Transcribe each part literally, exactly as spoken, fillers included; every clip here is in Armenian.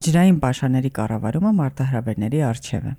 Ջրային պաշարների կառավարումը մարտահրավերների առջև է։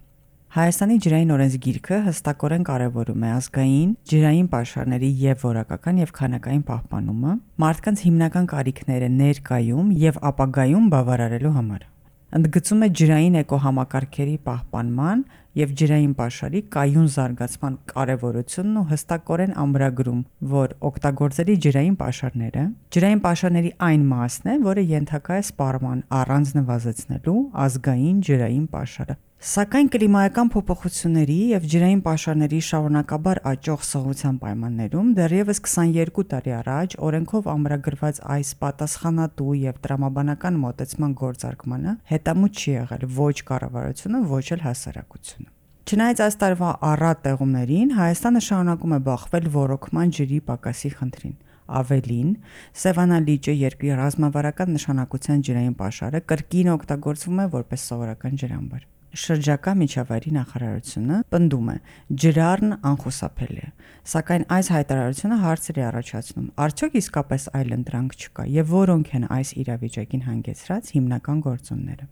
Հայաստանի ջրային օրենսգիրքը հստակորեն կարևորում է ազգային ջրային պաշարների եւ որակական եւ քանակային պահպանումը մարդկանց հիմնական կարիքները ներկայում եւ ապագայում բավարարելու համար։ Ընդգծում է ջրային էկոհամակարգերի պահպանման եւ ջրային պաշարի կայուն զարգացման կարեւորությունն ու հստակորեն ամրագրում, որ օգտագործելի ջրային պաշարները ջրային պաշարների այն մասն է, որը ենթակա է սպառման առանց նվազեցնելու ազգային ջրային պաշարը։ Սակայն կլիմայական փոփոխությունների եւ ջրային պաշարների շարունակաբար աճող սղության պայմաններում դեռևս քսաներկու տարի առաջ օրենքով ամրագրված այս պատասխանատու եւ տրամաբանական մոտեցման գործարկմանը հետամուտ չի եղել ոչ կառավարությունը, ոչ էլ հասարակությունը։ Չնայած այս տարվա առատ տեղումներին, Հայաստանը շարունակում է բախվել ոռոգման ջրի պակասի խնդրին։ Ավելին, Սևանա լիճը երկրի ռազմավարական նշանակության ջրային պաշարը կրկին օգտագործվում է որպես սովորական ջրամբար։ Շրջակա միջավայրի նախարարությունը պնդում է ջրառն անխուսափելի է, սակայն այս հայտարարությունը հարցեր է առաջացնում. արդյոք իսկապես այլընտրանք չկա եւ որոնք են այս իրավիճակին հանգեցրած հիմնական գործոնները։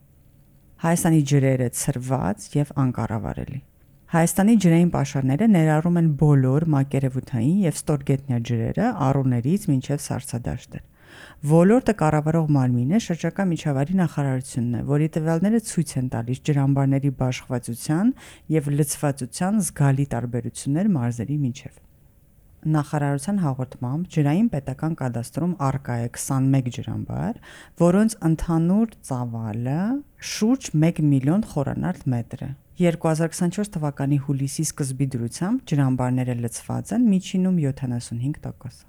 Հայաստանի ջրերը ցրված եւ անկառավարելի։ Հայաստանի ջրային պաշարները ներառում են բոլոր մակերևութային եւ ստորգետնյա ջրերը առուներից մինչեւ սառցադաշտեր։ Ոլորտը կառավարող մարմինը շրջակա միջավայրի նախարարությունն է, որի տվյալները ցույց են տալիս ջրամբարների բաշխվածության եւ լցվածության զգալի տարբերություններ մարզերի միջեւ։ Նախարարության հաղորդմամբ ջրային պետական կադաստրում առկա է քսանմեկ ջրամբար, որոնց ընդհանուր ծավալը շուրջ մեկ միլիոն խորանարդ մետր է։ երկու հազար քսանչորս թվականի հուլիսի սկզբի դրությամբ ջրամբարները լցված են միջինում յոթանասունհինգ տոկոս։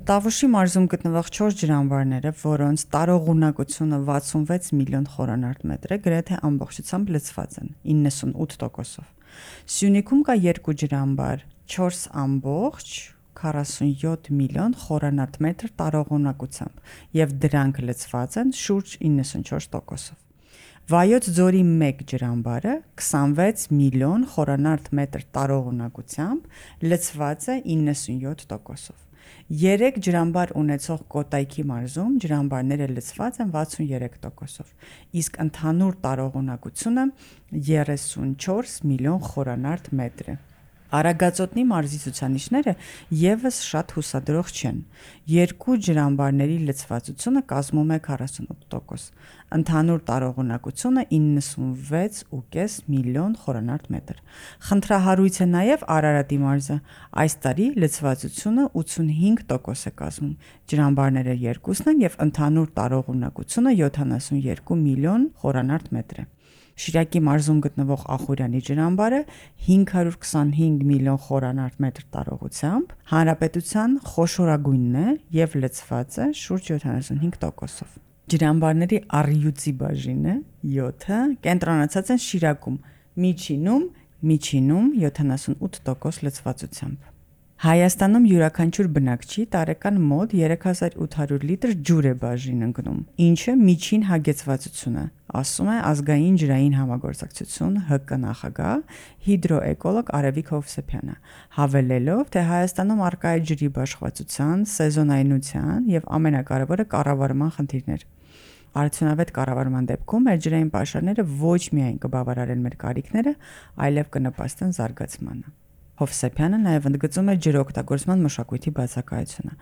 Տավուշի մարզում գտնվող չորս ջրամբարները, որոնց տարողունակությունը վաթսունվեց միլիոն խորանարդ մետր է, գրեթե ամբողջությամբ լցված են իննսունութ տոկոսով։ Սյունիքում կա երկու ջրամբար, չորս ամբողջ քառասունյոթ միլիոն խորանարդ մետր տարողունակությամբ, եւ դրանք լցված են շուրջ իննսունչորս տոկոսով։ Վայոց ձորի մեկ ջրամբարը քսանվեց միլիոն խորանարդ մետր տարողունակությամբ լցված է իննսունյոթ տոկոսով։ Երեք ջրամբար ունեցող Կոտայքի մարզում ջրամբարները լցված են վաթսուներեք տոկոսով, իսկ ընդհանուր տարողունակությունը երեսունչորս միլիոն խորանարդ մետր է։ Արագածոտնի մարզի ցուցանիշները եւս շատ հուսադրող չեն։ Երկու ջրամբարների լցվածությունը կազմում է քառասունութ տոկոս, ընդհանուր տարողունակությունը իննսունվեց ու կես միլիոն խորանարդ մետր։ Խնդրահարույց է նաեւ Արարատի մարզը։ Այս տարի լցվածությունը ութսունհինգ տոկոս է կազմում։ Ջրամբարները երկուսն են եւ ընդհանուր տարողունակությունը յոթանասունյոթ միլիոն խորանարդ մետր է։ Շիրակի մարզում գտնվող Ախուրյանի ջրամբարը հինգ հարյուր քսանհինգ միլիոն խորանարդ մետր տարողությամբ հանրապետության խոշորագույնն է եւ լցված է շուրջ յոթանասունհինգ տոկոսով։ Ջրամբարների առյուծի բաժինը յոթը կենտրոնացած են Շիրակում, միջինում միջինում յոթանասունութ տոկոս լցվածությամբ։ Հայաստանում յուրաքանչյուր բնակչի տարեկան մոտ երեք հազար ութ հարյուր լիտր ջուր է բաժին ընկնում, ինչը միջին հագեցվածություն է, ասում է ազգային ջրային համագործակցություն ՀԿ նախագահ հիդրոէկոլոգ Արևիկ Հովսեփյանը, հավելելով, թե Հայաստանում առկա է ջրի բաշխվածության, սեզոնայնության եւ ամենակարևորը կառավարման խնդիրներ։ Արդյունավետ կառավարման դեպքում մեր ջրային պաշարները ոչ միայն կբավարարեն մեր կարիքները, այլև կնպաստեն զարգացմանը։ Հովսեփյանը նաև ընդգծում է ջրօգտագործման մշակույթի բացակայությունը։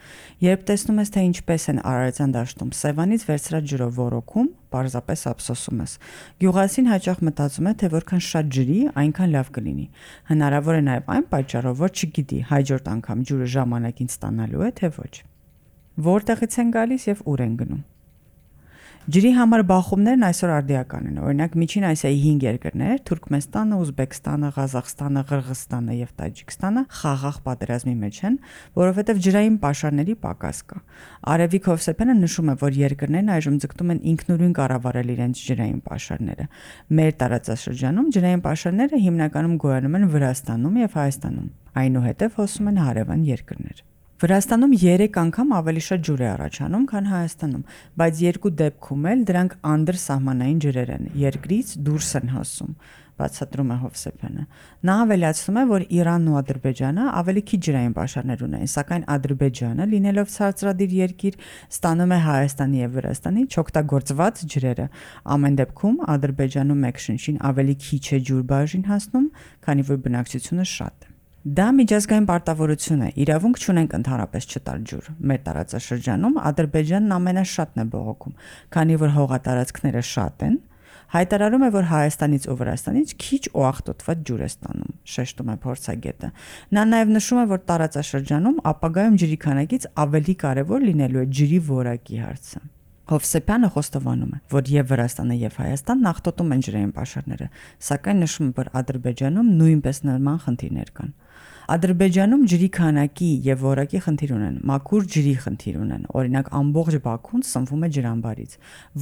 Երբ տեսնում ես, թե ինչպես են Արարատյան դաշտում Սևանից վերցրած ջրով ոռոգում, պարզապես ափսոսում ես։ Գյուղացին հաճախ մտածում է, թե որքան շատ ջրի, այնքան լավ կլինի։ Հնարավոր է նաև այն պատճառով, որ չգիտի հաջորդ անգամ ջուրը ժամանակին ստանալու է, թե ոչ։ Որտեղից են գալիս եւ ուր են գնում։ Ջրի համար բախումներն այսօր արդիական են։ Օրինակ Միջին Ասիայի հինգ երկրներ՝ Թուրքմենստանը, Ուզբեկստանը, Ղազախստանը, Ղրղզստանը եւ Տաջիկստանը խաղաղ պատերազմի մեջ են, որովհետեւ ջրային պաշարների պակաս կա։ Արևիկ Հովսեփյանը նշում է, որ երկրներն այժմ ձգտում են ինքնուրույն կառավարել իրենց ջրային պաշարները։ Մեր տարածաշրջանում ջրային պաշարները հիմնականում գոյանում են Վրաստանում եւ Հայաստանում, այնուհետեւ հոսում են հարևան երկրներ։ Վրաստանում երեք անգամ ավելի շատ ջուր է առաջանում, քան Հայաստանում, բայց երկու դեպքում էլ դրանք անդրսահմանային ջրեր են, երկրից դուրս են հասում, բացատրում է Հովսեփյանը։ Նա ավելացնում է, որ Իրանն ու Ադրբեջանը ավելի քիչ ջրային պաշարներ ունեն, սակայն Ադրբեջանը, լինելով ցածրադիր երկիր, ստանում է Հայաստանի եւ Վրաստանի չօգտագործված ջրերը։ Ամեն դեպքում Ադրբեջանում մեկ շնչին ավելի քիչ է ջուր բաժին հասնում, քանի որ բնակչությունը շատ է։ Դա միջազգային պարտավորություն է, իրավունք չունենք ընդհանրապես չտալ ջուր։ Մեր տարածաշրջանում Ադրբեջանն ամենաշատն է բողոքում, քանի որ հողատարածքները շատ են, հայտարարում է, որ Հայաստանից ու Վրաստանից քիչ ու աղտոտված ջուր է ստանում, շեշտում է փորձագետը։ Նա նաև նշում է, որ տարածաշրջանում ապագայում ջրի քանակից ավելի կարևոր լինելու է ջրի որակի հարցը։ Հովսեփյանը խոստովանում է, որ եւ Վրաստանը եւ Հայաստանն աղտոտում են ջրային պաշարները, սակայն նշում է, որ Ադրբեջանում նույնպես նման խնդիրներ կան։ Ադրբեջանում ջրի քանակի եւ որակի խնդիր ունեն, մաքուր ջրի խնդիր ունեն։ Օրինակ ամբողջ Բաքուն սնվում է ջրամբարից,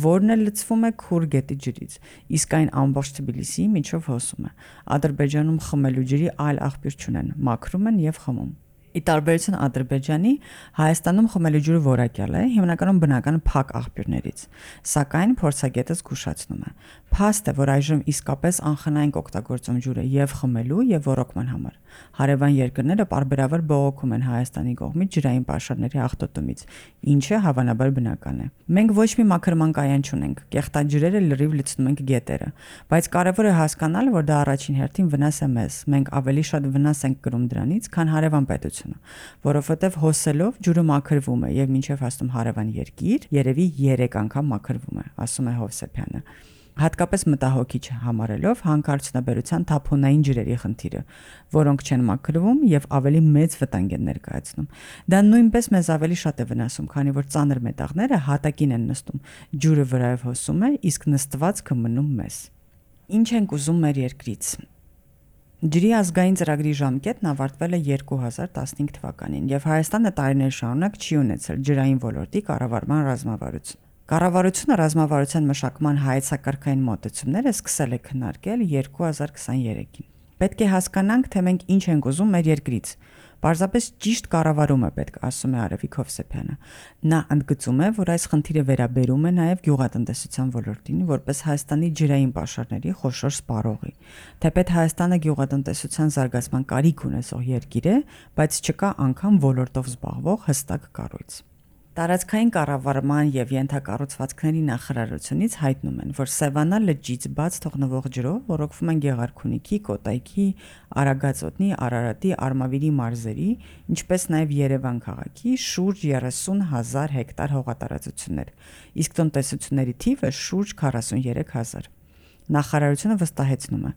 որն էլ լցվում է Քուր գետի ջրից, իսկ այն ամբողջ Թբիլիսիի միջով հոսում է։ Ադրբեջանում խմելու ջրի այլ աղբյուր չունեն, մաքրում են եւ խմում։ Ի տարբերություն Ադրբեջանի, Հայաստանում խմելու ջուրը որակյալ է, հիմնականում բնական փակ աղբյուրներից, սակայն փորձագետը զգուշացնում է. Փաստ է, որ այժմ իսկապես անխնայենք օգտագործում ջուրը եւ խմելու եւ ոռոգման համար։ Հարևան երկրները պարբերաբար բողոքում են Հայաստանի կողմից ջրային պաշարների աղտոտումից, ինչը հավանաբար բնական է։ Մենք ոչ մի մաքրման կայան չունենք, կեղտաջրերը լրիվ լցնում ենք գետերը, բայց կարևոր է հասկանալ, որ դա առաջին հերթին վնաս է մեզ։ Մենք ավելի շատ վնաս ենք կրում դրանից, քան հարևան պետությունը, որովհետև հոսելով ջուրը մաքրվում է եւ մինչեւ հասնում հարևան երկիր, երևի երեք անգամ մաքրվում է, ասում է Հովսեփյանը։ Հատկապես մտահոգիչ համարելով հանքարդյունաբերության թափոնային ջրերի խնդիրը, որոնք չեն մաքրվում եւ ավելի մեծ վտանգ են ներկայացնում։ Դա նույնպես մեզ ավելի շատ է վնասում, քանի որ ծանր մետաղները հատակին են նստում, ջուրը վրայով հոսում է, իսկ նստվածքը մնում մեզ։ Ինչ ենք ուզում մեր երկրից։ Ջրի ազգային ծրագրի ժամկետն ավարտվել է երկու հազար տասնհինգ թվականին եւ Հայաստանը տարիներ շարունակ չի ունեցել ջրային ոլորտի կառավարման ռազմավարություն։ Կառավարությունը ռազմավարության մշակման հայեցակարգային մոտեցումները սկսել է քննարկել երկու հազար քսաներեքին։ Պետք է հասկանանք, թե մենք ինչ ենք ուզում մեր երկրից։ Պարզապես ճիշտ կառավարում է պետք, ասում է Արևիկ Հովսեփյանը։ Նա ընդգծում է, որ այս խնդիրը վերաբերում է նաև գյուղատնտեսության ոլորտին, որպես Հայաստանի ջրային պաշարների խոշոր սպառողի։ Թեպետ Հայաստանը գյուղատնտեսության զարգացման կարիք ունեցող երկիր է, բայց չկա անգամ ոլորտով զբաղվող հստակ կառույց։ Տարածքային կառավարման եւ ենթակառուցվածքների նախարարությունից հայտնում են, որ Սևանա լճից բաց թողնվող ջրով ոռոգվում են Գեղարքունիքի, Կոտայքի, Արագածոտնի, Արարատի, Արմավիրի մարզերի, ինչպես նաեւ Երևան քաղաքի շուրջ երեսուն հազար հեկտար հողատարածություններ, իսկ տնտեսությունների թիվը շուրջ քառասուններեք հազար։ Նախարարությունը վստահեցնում է,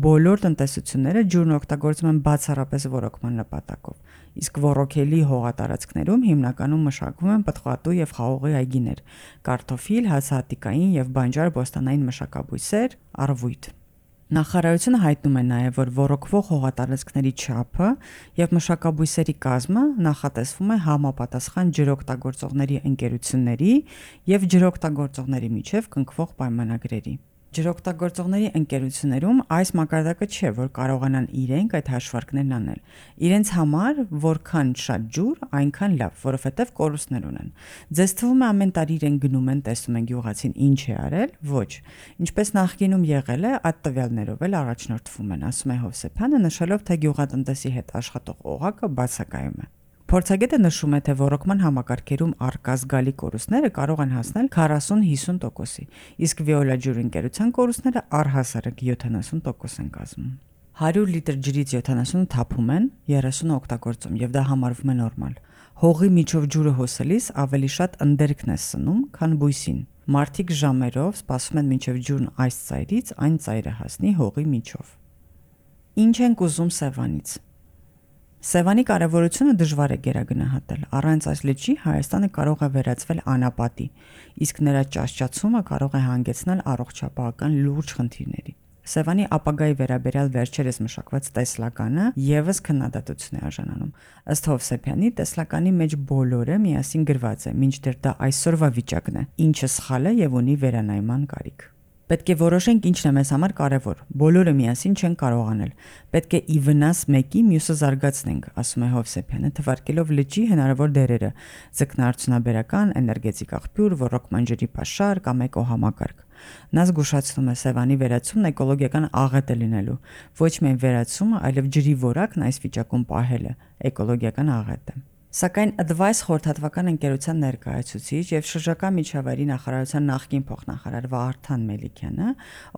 բոլոր տնտեսությունները ջուրն օգտագործում են բացառապես ոռոգման նպատակով, իսկ ոռոգելի հողատարածքներում հիմնականում մշակվում են պտղատու եւ խաղողի այգիներ, կարտոֆիլ, հացահատիկային եւ բանջար բոստանային մշակաբույսեր, առվույթ։ Նախարարությունը հայտնում է նաև, որ ոռոգվող հողատարածքների չափը եւ մշակաբույսերի կազմը նախատեսվում է համապատասխան ջրօգտագործողների ընկերությունների եւ ջրօգտագործողների միջև կնքվող պայմանագրերի։ Ջրօգտագործողների ընկերություններում այս մակարդակը չէ, որ կարողանան իրենք այդ հաշվարկներն անել։ Իրենց համար որքան շատ ջուր, այնքան լավ, որովհետև կորուստներ ունեն։ Ձեզ թվում է ամեն տարի իրենք գնում են, տեսնում են գյուղացին ինչ է արել, ոչ։ Ինչպես նախկինում եղել է, այդ տվյալներով էլ առաջնորդվում են, ասում է Հովսեփյանը, նշելով, թե գյուղատնտեսի հետ աշխատող օղակը բացակայում է։ Փորձագետը նշում է, թե ոռոգման համակարգերում առկա զգալի կորուստները կարող են հասնել քառասուն-հիսուն տոկոսի, իսկ վիոլաջուր ընկերության կորուստները առհասարակ յոթանասուն տոկոս են կազմում։ հարյուր լիտր ջրից յոթանասունը թափում են, երեսունը օգտագործում, եւ դա համարվում է նորմալ։ Հողի միջով ջուրը հոսելիս ավելի շատ ընդերքն է սնում, քան բույսին։ Մարդիկ ժամերով սպասում են մինչև ջուրն այս ծայրից այն ծայրը հասնի հողի միջով։ Ինչ ենք ուզում Սևանից։ Սևանի կարևորությունը դժվար է գերագնահատել։ Առանց այս լճի Հայաստանը կարող է վերածվել անապատի, իսկ նրա ճահճացումը կարող է հանգեցնել առողջապահական լուրջ խնդիրների։ Սևանի ապագայի վերաբերյալ վերջերս մշակված տեսլականը եւս քննադատություն է արժանանում։ Ըստ Հովսեփյանի, տեսլականի մեջ բոլորը միասին գրված է, մինչդեռ դա այսօրվա վիճակն է, ինչը սխալ է եւ ունի վերանայման կարիք։ Պետք է որոշենք ինչն է մեզ համար կարևոր։ Բոլորը միասին չեն կարող անել։ Պետք է ի վնաս մեկի մյուսը զարգացնենք, ասում է Հովսեփյանը, թվարկելով լճի հնարավոր դերերը՝ ձկնարդյունաբերական, էներգետիկ աղբյուր, ոռոգման ջրի պաշար կամ էկոհամակարգ։ Նա զգուշացնում է Սևանի վերացումն էկոլոգիական աղետ է լինելու, ոչ միայն վերացումը, այլև ջրի որակն այս վիճակում պահելը էկոլոգիական աղետ է։ Սակայն Advice խորհրդատվական ընկերության ներկայացուցիչ եւ շրջակա միջավայրի նախարարության նախկին փոխնախարար Վարդան Մելիքյանը,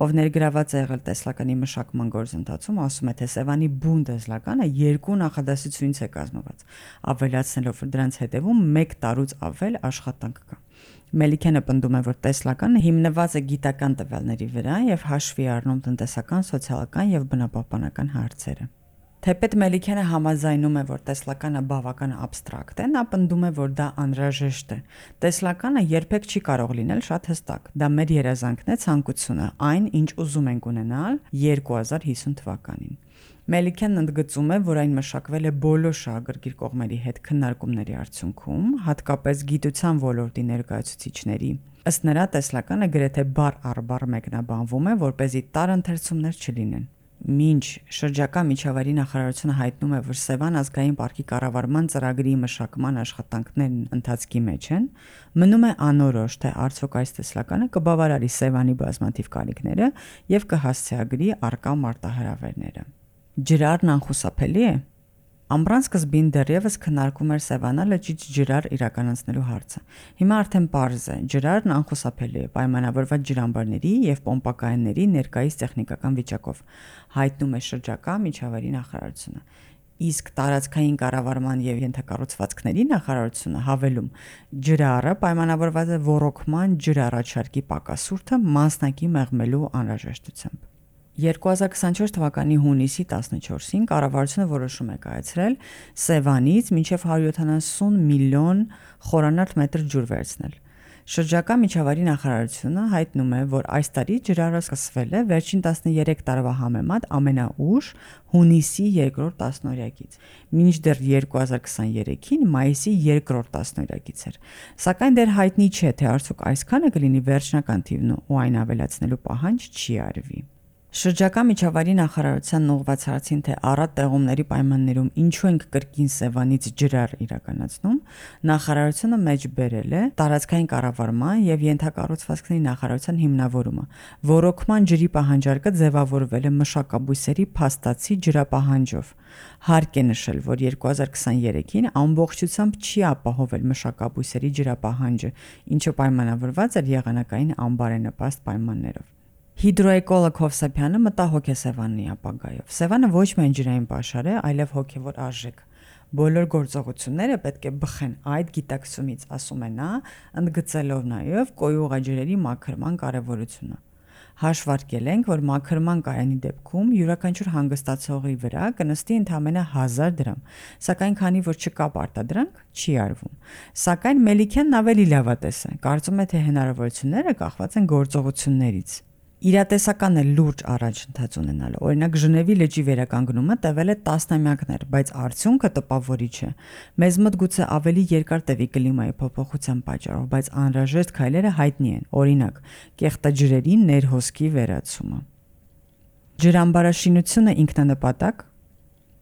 ով ներգրաված է եղել տեսլականի մշակման գործընթացում, ասում է, թե Սևանի բուն տեսլականը երկու նախադասությունից է կազմված, ավելացնելով, որ դրանց հետևում մեկ տարուց ավել աշխատանք կա։ Մելիքյանը պնդում է, որ տեսլականը հիմնված է գիտական տվյալների վրա եւ հաշվի առնում տնտեսական, սոցիալական եւ բնապահպանական հարցերը։ Թեպետ Մելիքյանը համաձայնում է, որ տեսլականը բավական абստրակտ է, նա պնդում է, որ դա անհրաժեշտ է։ Տեսլականը երբեք չի կարող լինել շատ հստակ։ Դա մեր երազանքն է, ցանկությունը, այն, ինչ ուզում ենք ունենալ երկու հազար հիսուն թվականին։ Մելիքյանն ընդգծում է, որ այն մշակվել է բոլոր շահագրգիռ կողմերի հետ քննարկումների արդյունքում, հատկապես գիտության ոլորտի ներկայացուցիչների։ Ըստ նրա, տեսլականը գրեթե բառ առ բառ մեկնաբանվում է, որպեսզի տարընթերցումներ չլինեն։ Մինչ շրջակա միջավայրի նախարարությունը հայտնում է, որ Սևան ազգային պարկի կառավարման ծրագրի մշակման աշխատանքներն ընթացքի մեջ են, մնում է անորոշ, թե արդյոք այս տեսլականը կբավարարի Սևանի բազմաթիվ կարիքները եւ կհասցեագրի առկա մարտահրավերները։ Ջրարն անխուսափելի է։ Ամռան սկզբին դեռևս քննարկում էր Սևանա լճից ջրար իրականացնելու հարցը։ Հիմա արդեն պարզ է, ջրարն անխուսափելի է պայմանավորված ջրամբարների եւ պոմպակայանների ներկայիս տեխնիկական վիճակով, հայտնում է շրջակա միջավայրի նախարարությունը։ Իսկ տարածքային կառավարման եւ ենթակառուցվածքների նախարարությունը հավելում, ջրարը պայմանավորված է ոռոգման ջրառաջարկի պակասուրդը մասնակի մեղմելու անհրաժեշտությամբ։ երկու հազար քսանչորս թվականի հունիսի տասնչորսին կառավարությունը որոշում է կայացրել Սևանից մինչև հարյուր յոթանասուն միլիոն խորանարդ մետր ջուր վերցնել։ Շրջակա միջավայրի նախարարությունը հայտնում է, որ այս տարի ջրարը սկսվել է վերջին տասներեք տարվա համեմատ ամենաուշ հունիսի երկրորդ տասնօրյակից, մինչդեռ երկու հազար քսաներեքին մայիսի երկրորդ տասնօրյակից էր։ Սակայն դեռ հայտնի չէ, թե արդյոք այսքանը կլինի վերջնական թիվն ու այն ավելացնելու պահանջ չի արվի։ Շրջակա միջավայրի նախարարության ուղղված հարցին, թե առատ տեղումների պայմաններում ինչու ենք կրկին Սևանից ջրար իրականացնում, նախարարությունը մեջ բերել է տարածքային կառավարման եւ ենթակառուցվածքների նախարարության հիմնավորումը։ Ոռոգման ջրի պահանջարկը ձևավորվել է մշակաբույսերի փաստացի ջրապահանջով։ Հարկ է նշել, որ երկու հազար քսաներեքին ամբողջությամբ չի ապահովել մշակաբույսերի ջրապահանջը, ինչը պայմանավորված էր եղանակային անբարենպաստ պայմաններով։ Հիդրոէկոլոգ Հովսեփյանը մտահոգ է Սևանի ապագայով։ Սևանը ոչ միայն ջրային պաշար է, այլև հոգևոր արժեք։ Բոլոր գործողությունները պետք է բխեն այդ գիտակցումից, ասում է նա, ընդգծելով նաև կոյուղաջրերի մաքրման կարևորությունը։ Հաշվարկել ենք, որ մաքրման կայանի դեպքում յուրաքանչյուր հանգստացողի վրա կնստի ընդամենը հազար դրամ, սակայն քանի որ չկա պարտադրանք, չի արվում։ Սակայն Մելիքյանն ավելի լավատես է, կարծում է, թե հնարավորությունները կախված են գործողություններից։ Իրատեսական է լուրջ առաջընթաց ունենալը։ Օրինակ Ժնևի լճի վերականգնումը տևել է տասնամյակներ, բայց արդյունքը տպավորիչ է։ Մեզ մոտ գուցե ավելի երկար տևի կլիմայի փոփոխության պատճառով, բայց անհրաժեշտ քայլերը հայտնի են։ Օրինակ, կեղտաջրերի ներհոսքի վերացումը։ Ջրամբարաշինությունը ինքնանպատակ։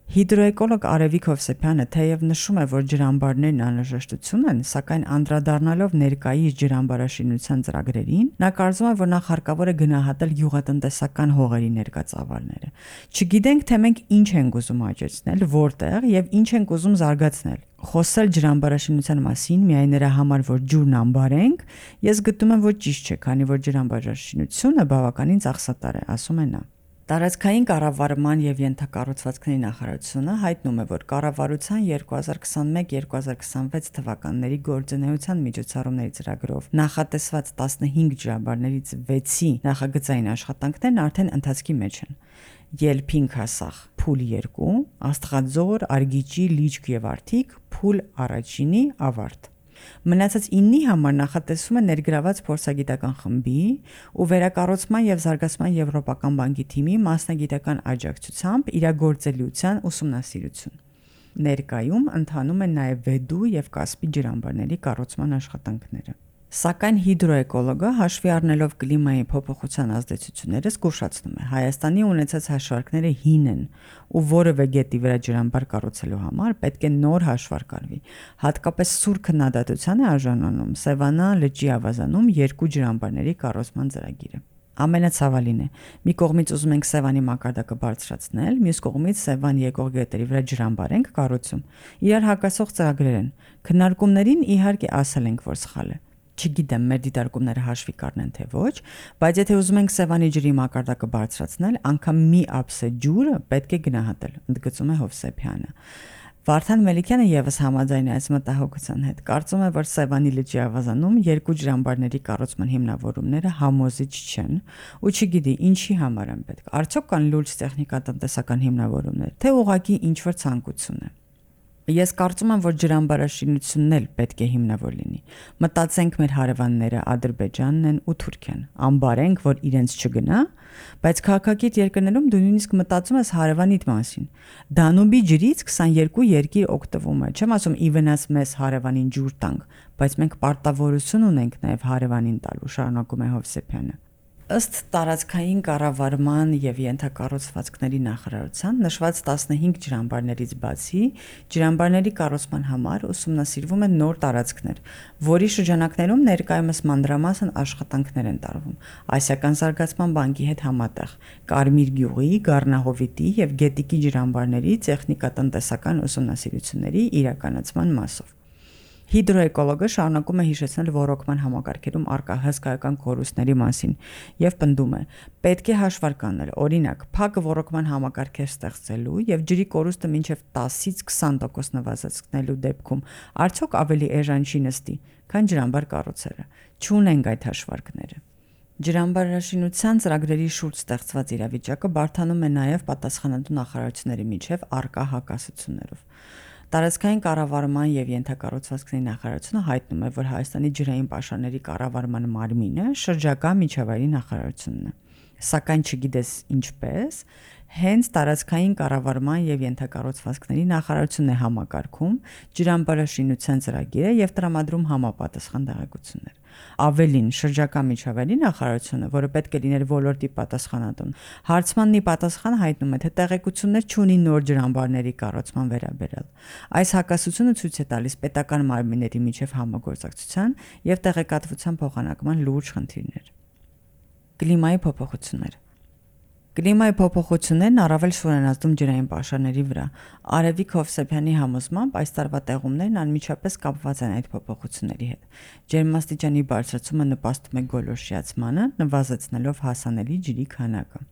Հիդրոէկոլոգ Արևիկ Հովսեփյանը թեև նշում է, որ ջրամբարներն անհրաժեշտություն են, սակայն անդրադառնալով ներկայիս ջրամբարաշինության ծրագրերին, նա կարծում է, որ նախ հարկավոր է գնահատել գյուղատնտեսական հողերի ներկա ծավալները։ Չգիտենք, թե մենք ինչ ենք ուզում աճեցնել, որտեղ եւ ինչ ենք ուզում զարգացնել։ Խոսել ջրամբարաշինության մասին միայն նրա համար, որ ջուրն ամբարենք, ես գտնում եմ, որ ճիշտ չէ, քանի որ ջրամբարաշինությունը բավականին ծախսատար է, ասում է նա։ Տարածքային կառավարման եւ ենթակառուցվածքների նախարարությունը հայտնում է, որ կառավարության երկու հազար քսաներեք երկու հազար քսանվեց թվականների գործունեության միջոցառումների ծրագրով նախատեսված տասնհինգ ջրամբարներից վեցի նախագծային աշխատանքներն արդեն ընթացքի մեջ են։ Ելփինքասախ փուլ երկու, Աստղաձոր, Արգիճի, Լիճք եւ Արթիկ փուլ առաջինի ավարտ։ Մնացած իննի համար նախատեսվում է ներգրաված փորձագիտական խմբի ու վերակառուցման եւ զարգացման եվրոպական բանկի թիմի մասնագիտական աջակցությամբ իրագործելիության ուսումնասիրություն։ Ներկայում ընթանում են նաեւ Վեդու եւ Կասպի ջրամբարների կառուցման աշխատանքները։ Սակայն հիդրոէկոլոգը հաշվի առնելով կլիմայի փոփոխության ազդեցությունները զգուշացնում է. Հայաստանի ունեցած հաշվարկները հին են ու որևէ գետի վրա ջրամբար կառուցելու համար պետք է նոր հաշվարկ արվի։ Հատկապես սուր քննադատության է արժանանում Սևանա լճի ավազանում երկու ջրամբարների կառուցման ծրագիրը։ Ամենացավալին է, մի կողմից ուզում ենք Սևանի մակարդակը բարձրացնել, մյուս կողմից Սևան եկող գետերի վրա ջրամբար ենք կառուցում։ Իրար հակասող ծրագրեր են։ Քննարկումներին իհարկե ասել ենք, որ սխալ է։ Չգիտեմ, մեր դիտարկումները հաշվի կառնեն թե ոչ, բայց եթե ուզում ենք Սևանի ջրի մակարդակը բարձրացնել, անգամ մի ափսե ջուրը պետք է գնահատել, ընդգծում է Հովսեփյանը։ Վարդան Մելիքյանը եւս համաձայն է այս մտահոգության հետ։ Կարծում է, որ Սևանի լճի ավազանում երկու ջրամբարների կառուցման հիմնավորումները համոզիչ չեն ու չգիտի ինչի համար են պետք։ Արդյոք կան լուրջ տեխնիկատնտեսական հիմնավորումներ, թե ուղղակի ինչ-որ ցանկություն է։ Ես կարծում եմ, որ ջրամբարաշինությունն էլ պետք է հիմնավոր լինի։ Մտածենք մեր հարևանները Ադրբեջանն են ու Թուրքիան։ Ամբարենք, որ իրենց չգնա, բայց քաղաքագիտ երկրներում դու նույնիսկ մտածում ես հարևանիդ մասին։ Դանուբի ջրից քսաներկու երկիր օգտվում է։ Չեմ ասում ի վնաս մեզ հարևանին ջուր տանք, բայց մենք պարտավորություն ունենք նաև հարևանին տալու, շարունակում է Հովսեփյանը։ Ըստ տարածքային կառավարման եւ ենթակառուցվածքների նախարարության նշված տասնհինգ ջրամբարներից բացի ջրամբարների կառուցման համար ուսումնասիրվում են նոր տարածքներ, որի շրջանակներում ներկայումս մանրամասն աշխատանքներ են տարվում Ասիական զարգացման բանկի հետ համատեղ Կարմիր գյուղի, Գառնահովիտի եւ Գետիկի ջրամբարների տեխնիկատնտեսական ուսումնասիրությունների իրականացման մասով։ Հիդրոէկոլոգը շարունակում է հիշեցնել ռոռոկման համակարգերում առկա հսկայական կորուստների մասին եւ պնդում է. պետք է հաշվարկ անել, օրինակ, փակ ռոռոկման համակարգեր ստեղծելու եւ ջրի կորուստը մինչեւ տասից քսան տոկոս նվազեցնելու դեպքում արդյոք ավելի էժան չի նստի, քան ջրամբար կառուցելը։ Չունենք այդ հաշվարկները։ Ջրամբարաշինության ծրագրերի շուրջ ստեղծված իրավիճակը բարդանում է նաեւ պատասխանատու նախարարությունների միջև առկա հակասություններով։ Տարածքային կառավարման եւ ենթակառուցվածքների նախարարությունը հայտնում է, որ Հայաստանի ջրային պաշարների կառավարման մարմինը շրջակա միջավայրի նախարարությունն է։ Սակայն չգիտես ինչպես, հենց տարածքային կառավարման եւ ենթակառուցվածքների նախարարությունն է համակարգում ջրամբարաշինության ծրագիրը եւ տրամադրում համապատասխան տեղեկություններ։ Ավելին, շրջակա միջավայրի նախարարությունը, որը պետք է լիներ ոլորտի պատասխանատուն, հարցմանն ի պատասխան հայտնում է, թե տեղեկություններ չունի նոր ջրամբարների կառուցման վերաբերյալ։ Այս հակասությունը ցույց է տալիս պետական մարմինների միջև համագործակցության եւ տեղեկատվության փոխանակման լուրջ խնդիրներ։ Կլիմայի փոփոխություններ։ Կլիմայի փոփոխություններն առավել շուր են ազդում ջրային պաշարների վրա։ Արևիկ Հովսեփյանի համոզմամբ այս տարվա տեղումներն անմիջապես կապված են այդ փոփոխությունների հետ։ Ջերմաստիճանի բարձրացումը նպաստում է գոլորշիացմանը, նվազեցնելով հասանելի ջրի քանակը։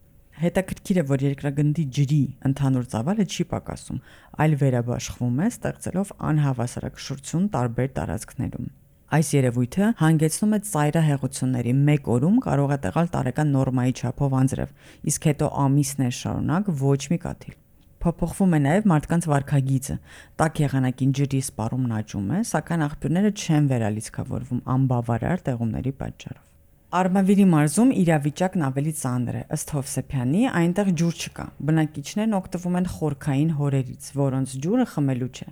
Հետաքրքիր է, որ երկրագնդի ջրի ընդհանուր ծավալը չի պակասում, այլ վերաբաշխվում է, ստեղծելով անհավասարակշռություն տարբեր տարածքներում։ Այս երևույթը հանգեցնում է ծայրահեղությունների, մեկ օրում կարող է տեղալ տարեկան նորմայի չափով անձրև, իսկ հետո ամիսներ շարունակ ոչ մի կաթիլ։ Փոփոխվում է նաև մարդկանց վարքագիծը, տաք եղանակին ջրի սպառումն աճում է, սակայն աղբյուրները չեն վերալիցքավորվում անբավարար տեղումների պատճառով։ Արմավիրի մարզում իրավիճակն ավելի ծանր է, ըստ Հովսեփյանի, այնտեղ ջուր չկա։ Բնակիչներն օգտվում են խորքային հորերից, որոնց ջուրը խմելու չէ։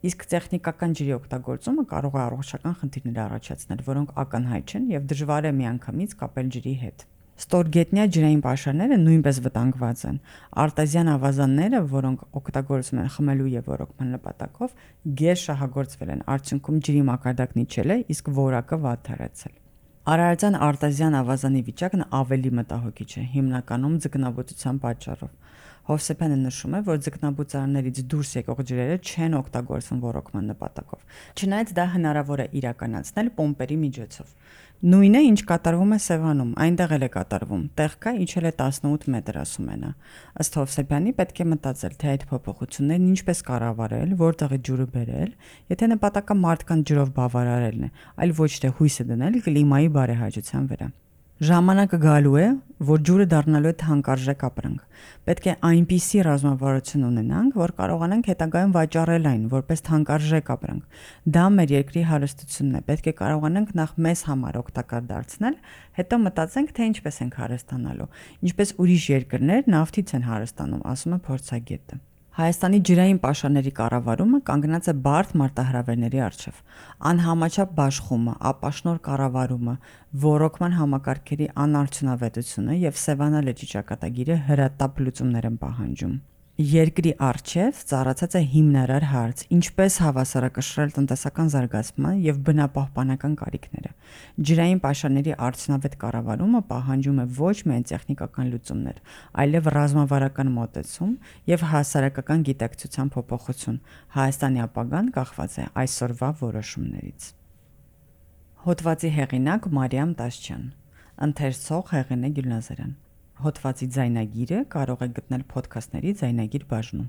Իսկ տեխնիկական ջրի օգտագործումը կարող է առողջական խնդիրներ առաջացնել, որոնք ակնհայտ չեն եւ դժվար է միանգամից կապել ջրի հետ։ Ստորգետնյա ջրային պաշարները նույնպես վտանգված են։ Արտեզյան ավազանները, որոնք օգտագործում են խմելու եւ ոռոգման նպատակով, գեր շահագործվել են, արդյունքում ջրի մակարդակն իջել է, իսկ որակը վատթարացել։ Արարատյան արտեզյան ավազանի վիճակն ավելի մտահոգիչ է, հիմնականում ձկնաբուծության պատճառով։ Հովսեփյանը նշում է, որ ձկնաբուծարաններից դուրս եկող ջրերը չեն օգտագործվում ոռոգման նպատակով։ Չնայած դա հնարավոր է իրականացնել պոմպերի միջոցով։ Նույնը, ինչ կատարվում է Սևանում, այնտեղ էլ է կատարվում։ Տեղ կա իջել է տասնութ մետր, ասում է նա։ Ըստ Հովսեփյանի պետք է մտածել, թե այդ փոփոխություններն ինչպես կառավարել, որտեղի ջուրը բերել, եթե նպատակը մարդկանց ջրով բավարարելն է, այլ ոչ թե հույսը դնել կլիմայի բարեհաճության վրա։ Ժամանակը գալու է, որ ջուրը դառնալու է թանկարժեք ապրանք։ Պետք է այնպիսի ռազմավարություն ունենանք, որ կարողանանք հետագայում վաճառել այն որպես թանկարժեք ապրանք։ Դա մեր երկրի հարստությունն է։ Պետք է կարողանանք նախ մեզ համար օգտակար դարձնել, հետո մտածենք, թե ինչպես ենք հարստանալու։ Ինչպես ուրիշ երկրներ նավթից են հարստանում, ասում է փորձագետը։ Հայաստանի ջրային պաշարների կառավարումը կանգնած է բարդ մարտահրավերների առջև։ Անհամաչափ բաշխումը, ապաշնոր կառավարումը, ոռոգման համակարգերի անարդյունավետությունը եւ Սևանա լճի ճակատագիրը հրատապ լուծումներ են պահանջում։ Երկրի առջև ծառացած է հիմնարար հարց՝ ինչպես հավասարակշռել տնտեսական զարգացման եւ բնապահպանական կարիքները։ Ջրային պաշարների արդյունավետ կառավարումը պահանջում է ոչ միայն տեխնիկական լուծումներ, այլև ռազմավարական մոտեցում եւ հասարակական գիտակցության փոփոխություն։ Հայաստանի ապագան կախված է այսօրվա որոշումներից։ Հոդվացի հեղինակ Մարիամ Տաշչյան, ընթերցող Հեղինե Գյուլնազարյան։ Հոդվացի ձայնագիրը կարող եք գտնել փոդքասթների ձայնագիր բաժնում։